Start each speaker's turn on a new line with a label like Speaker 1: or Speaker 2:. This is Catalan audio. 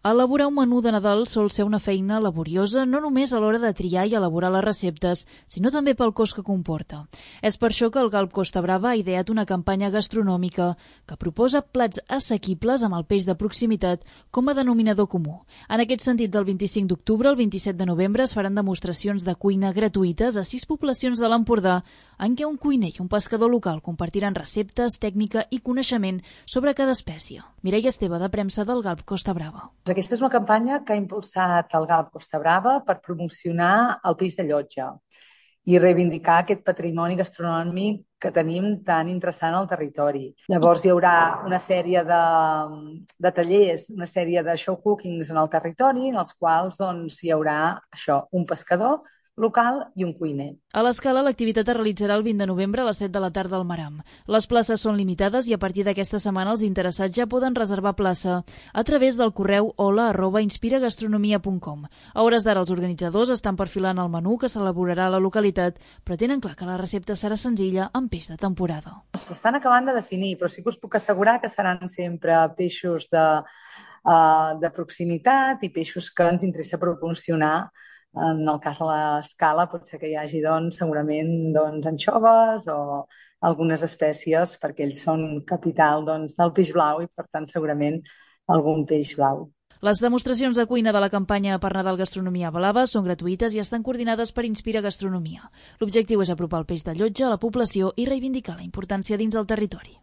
Speaker 1: Elaborar un menú de Nadal sol ser una feina laboriosa no només a l'hora de triar i elaborar les receptes, sinó també pel cost que comporta. És per això que el Galp Costa Brava ha ideat una campanya gastronòmica que proposa plats assequibles amb el peix de proximitat com a denominador comú. En aquest sentit, del 25 d'octubre al 27 de novembre es faran demostracions de cuina gratuïtes a 6 poblacions de l'Empordà, en què un cuiner i un pescador local compartiran receptes, tècnica i coneixement sobre cada espècie. Mireia Esteve, de premsa del Galp Costa Brava.
Speaker 2: Aquesta és una campanya que ha impulsat el Galp Costa Brava per promocionar el peix de llotja i reivindicar aquest patrimoni gastronòmic que tenim tan interessant al territori. Llavors hi haurà una sèrie de tallers, una sèrie de show cookings en el territori, en els quals hi haurà un pescador local i un cuiner.
Speaker 1: A l'Escala, l'activitat es realitzarà el 20 de novembre a les 7 de la tarda al Maram. Les places són limitades i a partir d'aquesta setmana els interessats ja poden reservar plaça a través del correu hola@inspiragastronomia.com. A hores d'ara els organitzadors estan perfilant el menú que s'elaborarà a la localitat, però tenen clar que la recepta serà senzilla amb peix de temporada.
Speaker 2: S'estan acabant de definir, però sí que us puc assegurar que seran sempre peixos de proximitat i peixos que ens interessa proporcionar. En el cas de l'Escala pot ser que hi hagi segurament anxoves o algunes espècies perquè ells són capital del peix blau i per tant segurament algun peix blau.
Speaker 1: Les demostracions de cuina de la campanya per Nadal Gastronomia Blava són gratuïtes i estan coordinades per Inspira Gastronomia. L'objectiu és apropar el peix de llotja a la població i reivindicar la importància dins el territori.